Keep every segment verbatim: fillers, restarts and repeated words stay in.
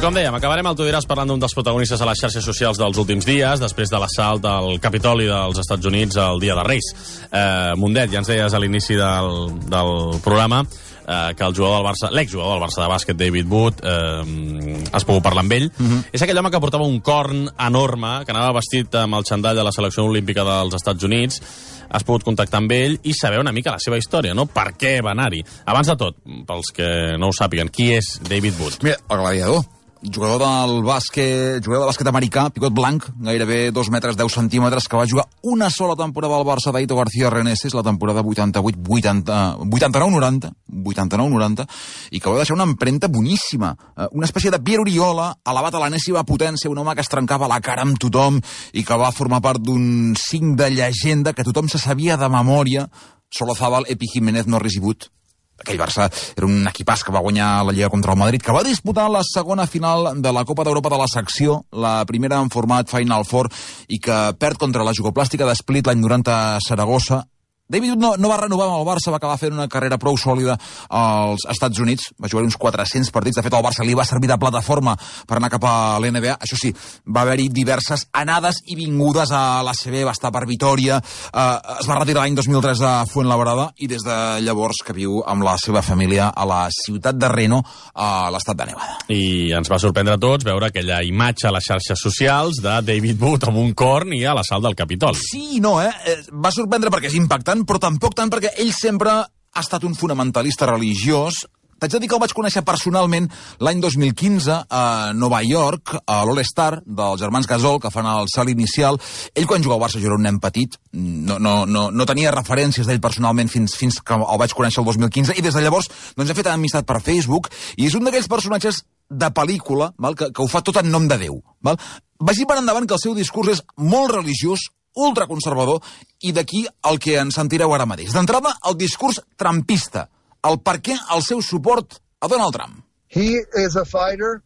com dèiem, acabarem el Tu diràs parlant d'un dels protagonistes a les xarxes socials dels últims dies, després de l'assalt al Capitoli dels Estats Units el dia de Reis. Eh, Mundet, ja ens deies a l'inici del, del programa eh, que el jugador del Barça, l'exjugador del Barça de bàsquet, David Wood, eh, has pogut parlar amb ell. Uh-huh. És aquell home que portava un corn enorme, que anava vestit amb el xandall de la selecció olímpica dels Estats Units. Has pogut contactar amb ell i saber una mica la seva història, no? Per què va anar-hi? Abans de tot, pels que no ho sàpiguen, qui és David Wood? Mira, el gladiador. Jugador del bàsquet, jugador de bàsquet americà, picot blanc, gairebé dos metres deu centímetres, que va jugar una sola temporada al Barça d'Aito García Reneses, la temporada vuitanta-vuit vuitanta-nou noranta, vuitanta-nou noranta, i que va deixar una empremta boníssima. Una espècie de Pierre Oriola, elevat a l'enèsima potència, un home que es trencava la cara amb tothom i que va formar part d'un cinc de llegenda que tothom se sabia de memòria: Solozábal, Epi Jiménez, Norris i Wood. Aquell Barça era un equipàs que va guanyar la Lliga contra el Madrid, que va disputar la segona final de la Copa d'Europa de la secció, la primera en format Final Four, i que perd contra la Jugoplàstica de Split l'any noranta a Saragossa. David no, no va renovar amb el Barça, va acabar fent una carrera prou sòlida als Estats Units, va jugar uns quatre-cents partits, de fet el Barça li va servir de plataforma per anar cap a l'N B A, això sí, va haver-hi diverses anades i vingudes a l'A C B, va estar per Vitòria, eh, es va retirar l'any dos mil tres a Fuenlabrada i des de llavors que viu amb la seva família a la ciutat de Reno, a l'estat de Nevada. I ens va sorprendre a tots veure aquella imatge a les xarxes socials de David Wood amb un corn i a l'assalt del Capitoli. Sí i no, eh? Va sorprendre perquè és impactant, però tampoc tant perquè ell sempre ha estat un fonamentalista religiós. T'haig de dir que el vaig conèixer personalment l'any dos mil quinze a Nova York, a l'All-Star dels germans Gasol, que fan el salt inicial. Ell, quan jugava al Barça, jo era un nen petit, no, no, no, no tenia referències d'ell personalment fins, fins que el vaig conèixer el dos mil quinze, i des de llavors doncs, he fet amistat per Facebook, i és un d'aquells personatges de pel·lícula, val? Que, que ho fa tot en nom de Déu. Val? Vagi per endavant que el seu discurs és molt religiós, ultraconservador, i d'aquí el que ens sentireu ara mateix. D'entrada, el discurs trumpista, el per què el seu suport a Donald Trump. He is a fighter,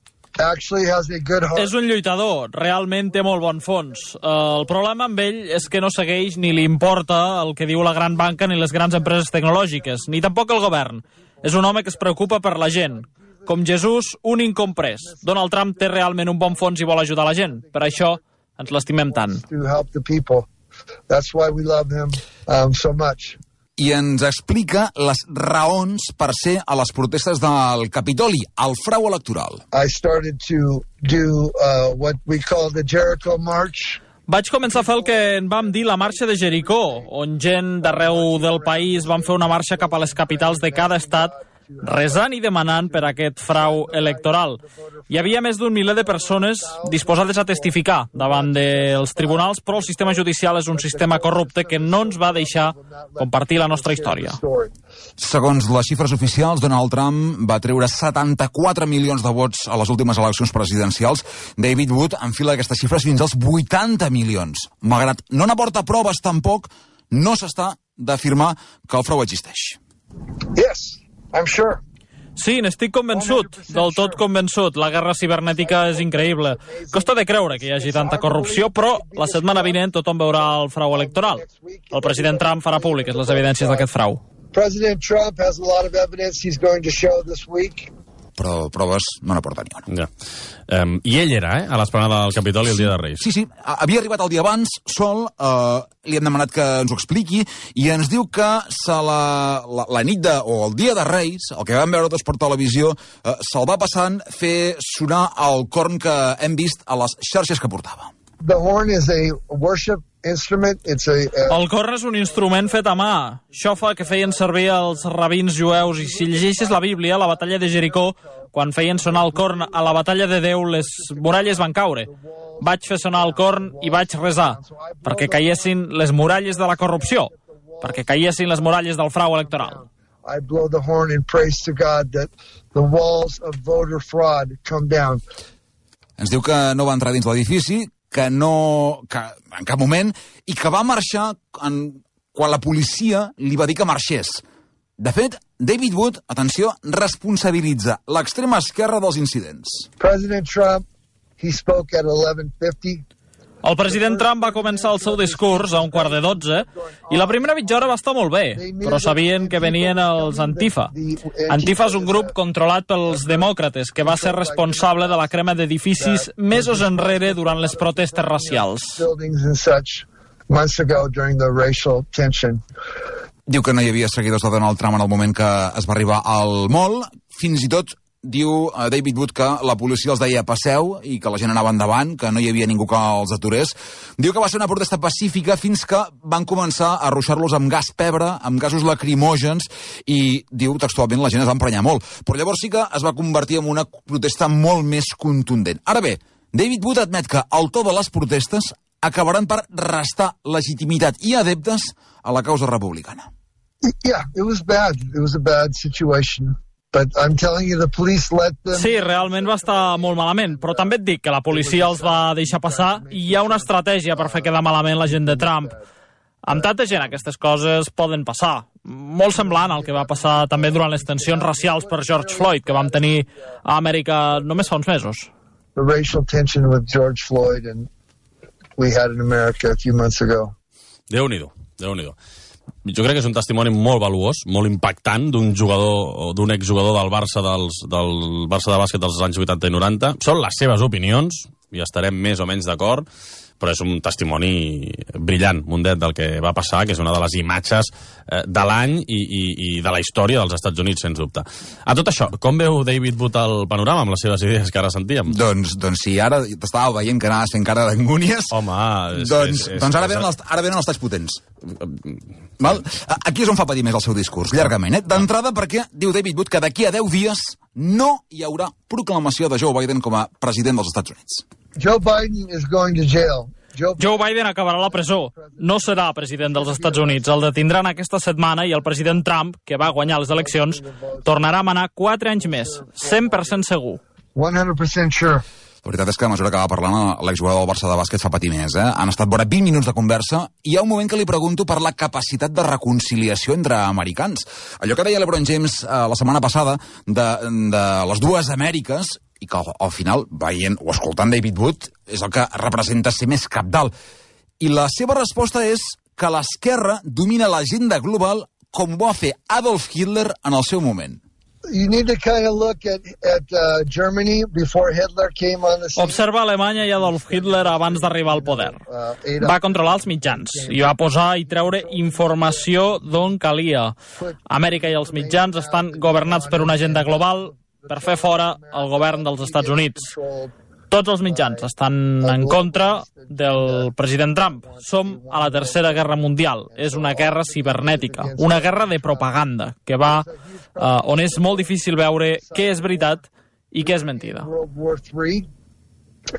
actually has a good heart. És un lluitador, realment té molt bon fons. El problema amb ell és que no segueix ni li importa el que diu la gran banca ni les grans empreses tecnològiques, ni tampoc el govern. És un home que es preocupa per la gent. Com Jesús, un incomprès. Donald Trump té realment un bon fons i vol ajudar la gent. Per això ens l'estimem tant. That's why we love him um, so much. I ens explica les raons per ser a les protestes del Capitoli, el frau electoral. I started to do uh, what we call the Jericho March. Vaig començar a fer el que en vam dir la marxa de Jericó, on gent d'arreu del país van fer una marxa cap a les capitals de cada estat, resant i demanant per aquest frau electoral. Hi havia més d'un miler de persones disposades a testificar davant dels tribunals, però el sistema judicial és un sistema corrupte que no ens va deixar compartir la nostra història. Segons les xifres oficials, Donald Trump va treure setanta-quatre milions de vots a les últimes eleccions presidencials. David Wood enfila aquestes xifres fins als vuitanta milions. Malgrat no n'aporta proves tampoc, no s'està d'afirmar que el frau existeix. Yes. I'm sure. Sí, n'estic convençut, del tot convençut. La guerra cibernètica és increïble. Costa de creure que hi hagi tanta corrupció, però la setmana vinent tothom veurà el frau electoral. El president Trump farà públiques les evidències d'aquest frau. President Trump has a lot of evidence he's going to show this week. Però proves no n'aporta ni una. Ja. Um, I ell era, eh, a l'esplanada del Capitoli el dia de Reis. Sí, sí, havia arribat el dia abans, sol, eh, li hem demanat que ens ho expliqui, i ens diu que se la, la, la nit de, o el dia de Reis, el que vam veure tots per televisió, eh, se'l va passant fer sonar el corn que hem vist a les xarxes que portava. The horn is a worship instrument. It's a, uh... El corn és un instrument fet a mà. Xofa que feien servir els rabins jueus, i si llegeixes la Bíblia, la batalla de Jericó, quan feien sonar el corn a la batalla de Déu, les muralles van caure. Vaig fer sonar el corn i vaig resar, perquè caiessin les muralles de la corrupció, perquè caiessin les muralles del frau electoral. I blow the horn and praise to God that the walls of voter fraud come down. Ens diu que no va entrar dins l'edifici, que no, que en cap moment, i que va marxar en, quan la policia li va dir que marxés. De fet, David Wood, atenció, responsabilitza l'extrema esquerra dels incidents. President Trump, he spoke at eleven fifty. El president Trump va començar el seu discurs a un quart de dotze i la primera mitja hora va estar molt bé, però sabien que venien els Antifa. Antifa és un grup controlat pels demòcrates que va ser responsable de la crema d'edificis mesos enrere durant les protestes racials. Diu que no hi havia seguidors de Donald Trump en el moment que es va arribar al mall, fins i tot diu David Wood que la policia els deia passeu i que la gent anava endavant, que no hi havia ningú que els aturés. Diu que va ser una protesta pacífica fins que van començar a ruixar-los amb gas pebre, amb gasos lacrimògens i, diu textualment, la gent es va emprenyar molt. Però llavors sí que es va convertir en una protesta molt més contundent. Ara bé, David Wood admet que el to de les protestes acabaran per restar legitimitat i adeptes a la causa republicana. Yeah, it was bad. It was a bad situation. But I'm telling you, the police let them... Sí, realment va estar molt malament, però també et dic que la policia els va deixar passar i hi ha una estratègia per fer quedar malament la gent de Trump. Amb tanta gent aquestes coses poden passar. Molt semblant al que va passar també durant les tensions racials per George Floyd, que vam tenir a Amèrica només fa uns mesos. The racial tension with George Floyd and we had in America a few months ago. Déu-n'hi-do, Déu-n'hi-do. Jo crec que és un testimoni molt valuós, molt impactant d'un jugador o d'un exjugador del Barça dels, del Barça de bàsquet dels anys vuitanta i noranta. Són les seves opinions, i estarem més o menys d'acord, però és un testimoni brillant, Mundet, del que va passar, que és una de les imatges eh, de l'any i, i, i de la història dels Estats Units, sens dubte. A tot això, com veu David Wood el panorama amb les seves idees que ara sentíem? Doncs, doncs si ara t'estava veient que anaves fent cara d'angúnies... Home... És, doncs, és, és, doncs ara, és, venen els, ara venen els talls potents. Val? Aquí és on fa patir més el seu discurs, llargament. Eh? D'entrada perquè diu David Wood que d'aquí a deu dies no hi haurà proclamació de Joe Biden com a president dels Estats Units. Joe Biden is going to jail. Joe... Joe Biden acabarà a la presó. No serà president dels Estats Units. El detindran aquesta setmana i el president Trump, que va guanyar les eleccions, tornarà a manar quatre anys més. cent per cent segur. one hundred percent sure. La veritat és que a mesura que va parlant l'exjugador del Barça de bàsquet fa patir més. Eh? Han estat vora vint minuts de conversa i hi ha un moment que li pregunto per la capacitat de reconciliació entre americans. Allò que deia LeBron James eh, la setmana passada de, de les dues Amèriques i que al, al final, veient o escoltant David Wood, és el que representa ser més cabdalt. I la seva resposta és que l'esquerra domina l'agenda global com ho va fer Adolf Hitler en el seu moment. You need to kind of look at, at uh, Germany before Hitler came on the scene. Observa Alemanya i Adolf Hitler abans d'arribar al poder. Va controlar els mitjans i va posar i treure informació d'on calia. Amèrica i els mitjans estan governats per una agenda global per fer fora el govern dels Estats Units. Tots els mitjans estan en contra del president Trump. Som a la Tercera Guerra Mundial. És una guerra cibernètica, una guerra de propaganda, que va uh, on és molt difícil veure què és veritat i què és mentida. World War Three,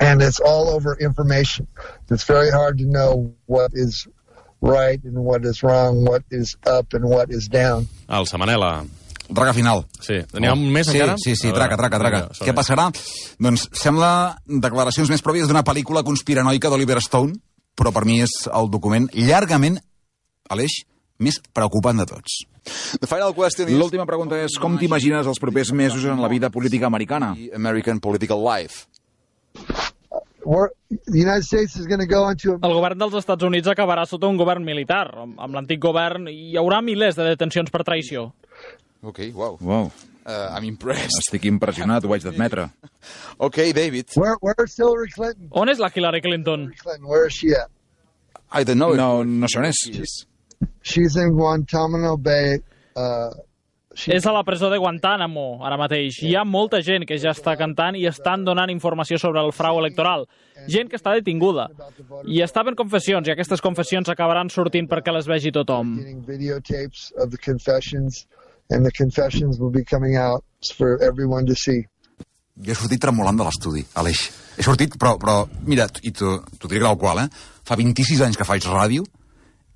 and it's all over information. It's very hard to know what is right and what is wrong, what is up and what is down. El Samanela. Traca final. Sí. N'hi ha un més sí, encara? Sí, sí, traca, traca, traca. Vinga, què passarà? Doncs sembla declaracions més pròpies d'una pel·lícula conspiranoica d'Oliver Stone, però per mi és el document llargament, Aleix, més preocupant de tots. L'última pregunta és com t'imagines els propers mesos en la vida política americana? American political life. The United States is going to go into a... El govern dels Estats Units acabarà sota un govern militar. Amb l'antic govern hi haurà milers de detencions per traïció. Ok, wow. Wow. Uh, I'm impressed. Estic impressionat, ho haig d'admetre. Ok, David. Where, where's Hillary Clinton? On és la Hillary Clinton? Hillary Clinton, where is she at? I don't know. No, no sé on és. She's in Guantanamo Bay. Uh, she... És a la presó de Guantánamo, ara mateix. Hi ha molta gent que ja està cantant i estan donant informació sobre el frau electoral. Gent que està detinguda. I estaven confessions, i aquestes confessions acabaran sortint perquè les vegi tothom. Getting videotapes of the confessions, and the confessions will be coming out for everyone to see. Jo he sortit tremolant de l'estudi, Aleix. He sortit, però, però mira, i t'ho diré tal qual, eh? Fa vint-i-sis anys que faig ràdio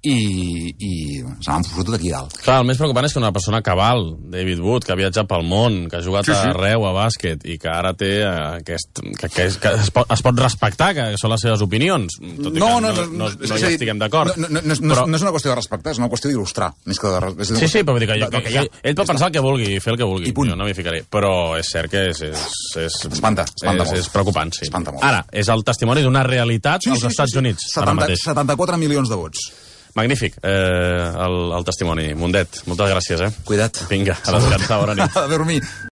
i, i se n'han fotut aquí dalt. Clar, el més preocupant és que una persona cabal, David Wood, que ha viatjat pel món, que ha jugat sí, sí. arreu a bàsquet i que ara té aquest... que, que, que es, pot, es pot respectar, que són les seves opinions, tot i no, que no, no, no, no, no, no hi estiguem d'acord. No, no, no, però... no és una qüestió de respectar, és una qüestió d'il·lustrar, més que de... És sí, sí, però vull dir que, jo, que, que, que ell pot pensar el que vulgui, fer el que vulgui, jo no m'hi ficaré, però és cert que és... és, és espanta, espanta és, és preocupant, sí. Espanta molt. Ara, és el testimoni d'una realitat sí, als sí, Estats sí, sí. Units, setanta, ara mateix. setanta-quatre milions de vots. Magnífic, eh, el, el testimoni. Mundet, moltes gràcies, eh? Cuida't. Vinga, a descansar, bona nit. A dormir.